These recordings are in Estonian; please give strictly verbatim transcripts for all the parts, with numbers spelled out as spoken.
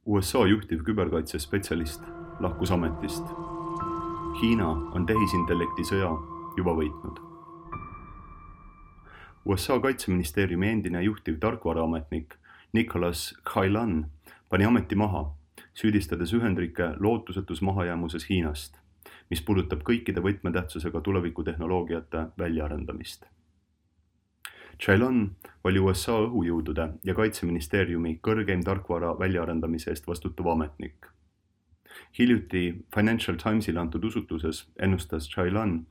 U S A juhtiv küberkaitsespetsialist lahkus ametist. Hiina on tehisintellekti sõja juba võitnud. U S A kaitseministeeriumi endine juhtiv tarkvaraametnik Nicholas Khailan pani ameti maha, süüdistades Ühendriike lootusetus mahajäämuses Hiinast, mis puudutab kõikide võtmetähtsusega tulevikutehnoloogiate väljaarendamist. Khailan oli U S A õhujõudude ja kaitseministeeriumi kõrgeim tarkvara väljaarendamise eest vastutav ametnik. Hiljuti Financial Timesile antud usutluses ennustas Khailan,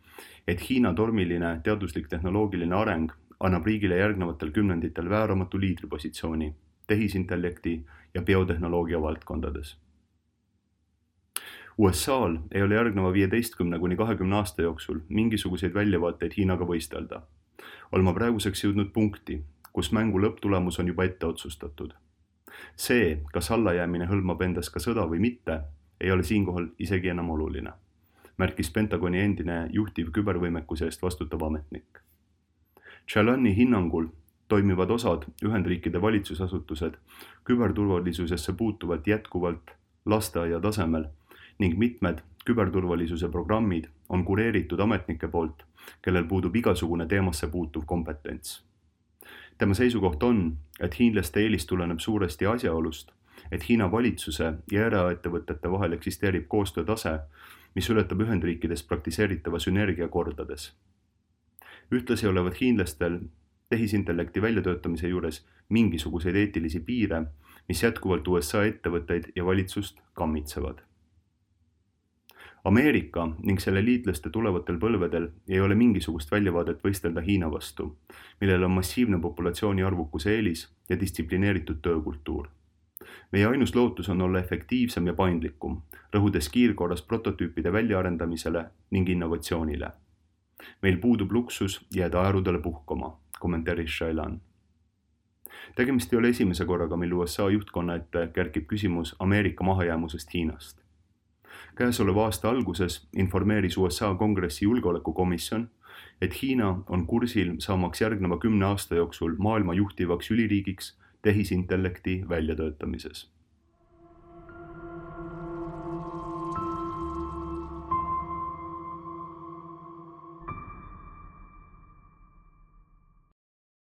et Hiina tormiline teaduslik tehnoloogiline areng annab riigile järgnevatel kümnenditel vääramatu liidripositsiooni tehisintellekti ja biotehnoloogia valdkondades. U S A-l ei ole järgneva viieteistkümne kuni kahekümne aasta jooksul mingisuguseid väljavaateid Hiinaga võistelda. Olema praeguseks jõudnud punkti, kus mängu lõpptulemus on juba ette otsustatud. See, kas allajäämine hõlmab endas ka sõda või mitte, ei ole siinkohal isegi enam oluline, märkis Pentagoni endine juhtiv kübervõimekuse eest vastutav ametnik. Khailani hinnangul toimivad osad Ühendriikide valitsusasutused küberturvalisusesse puutuvalt jätkuvalt lasteaia tasemel ning mitmed küberturvalisuse programmid on kureeritud ametnike poolt, kellel puudub igasugune teemasse puutuv kompetents. Tema seisukoht on, et hiinlaste eelis tuleneb suuresti asjaolust, et Hiina valitsuse ja eraettevõtete vahel eksisteerib koostöötase, mis ületab Ühendriikides praktiseeritava sünergia kordades. Ühtlasi olevat hiinlastel tehisintellekti väljatöötamise juures mingisuguseid eetilisi piire, mis jätkuvalt U S A ettevõtteid ja valitsust kammitsevad. Ameerika ning selle liitlaste tulevatel põlvedel ei ole mingisugust väljavaadet võistelda Hiina vastu, millel on massiivne populatsiooni arvukuse eelis ja distsiplineeritud töökultuur. Meie ainus lootus on olla efektiivsem ja paindlikum, rõhudes kiirkorras prototüüpide väljaarendamisele ning innovatsioonile. Meil puudub luksus jääda aerudele puhkama, kommenteeris Khailan. Tegemist ei ole esimese korraga, mil U S A juhtkonna ette kerkib küsimus Ameerika mahajäämusest Hiinast. Käesoleva aasta alguses informeeris U S A kongressi julgeolekukomisjon, et Hiina on kursil saamaks järgneva kümne aasta jooksul maailma juhtivaks üliriigiks tehisintellekti väljatöötamises.